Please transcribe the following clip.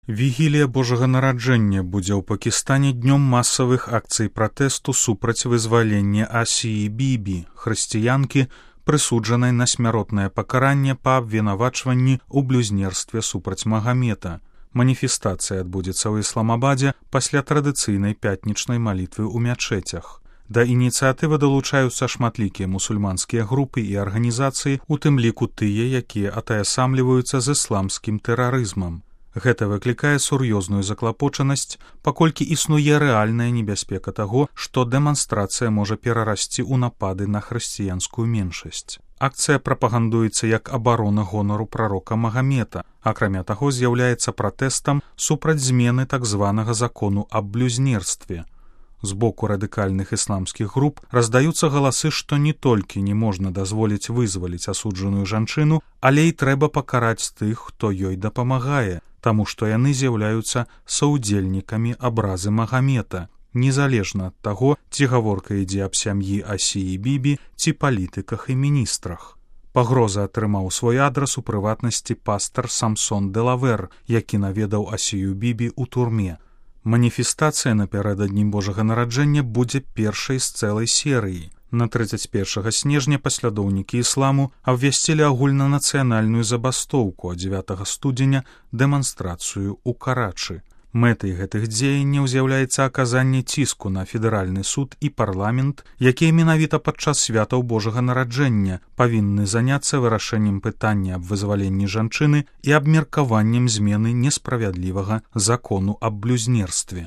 Вігілія Божага нараджэння будзе ў Пакістане днём масавых акцый пратэсту супраць вызвалення Асіі Бібі, хрысціянкі, прысуджанай на смяротнае пакаранне па абвінавачванні ў блюзнерстве супраць Магамета. Маніфестацыя адбудзецца ў Ісламабадзе пасля традыцыйнай пятнічнай малітвы ў мячэцях. Да ініцыятывы далучаюцца шматлікія мусульманскія групы і арганізацыі, у тым ліку тыя, якія атаясамліваюцца з ісламскім тэрарызмам. Гэта выклікае сур'ёзную заклапочанасць, паколькі існуе рэальная небяспека таго, што дэманстрацыя можа перарасці ў напады на хрысціянскую меншасць. Акцыя прапагандуецца як абарона гонару прарока Магамета, акрамя таго з'яўляецца пратэстам супраць змены так званага закону аб блюзнерстве. З боку радыкальных ісламскіх груп раздаюцца галасы, што не толькі не можна дазволіць вызваліць асуджаную жанчыну, але і трэба пакараць тых, хто ёй дапамагае, таму што яны з'яўляюцца саўдзельнікамі абразы Магамета, незалежна ад таго, ці гаворка ідзе аб сям'і Асіі Бібі, ці палітыках і міністрах. Пагроза атрымаў свой адрас у прыватнасці пастар Самсон Делавер, які наведаў Асію Бібі ў турме. Маніфестацыя напярэдадні Божага нараджэння будзе першай з цэлай серыі. На 31 снежня паслядоўнікі ісламу абвясцілі агульнанацыянальную забастоўку, а 9 студзеня дэманстрацыю ў Карачы. Мэтай гэтых дзеянняў з'яўляецца аказанне ціску на федэральны суд і парламент, якія менавіта падчас святаў Божага нараджэння павінны заняцца вырашэннем пытання аб вызваленні жанчыны і абмеркаваннем змены несправядлівага закону аб блюзнерстве.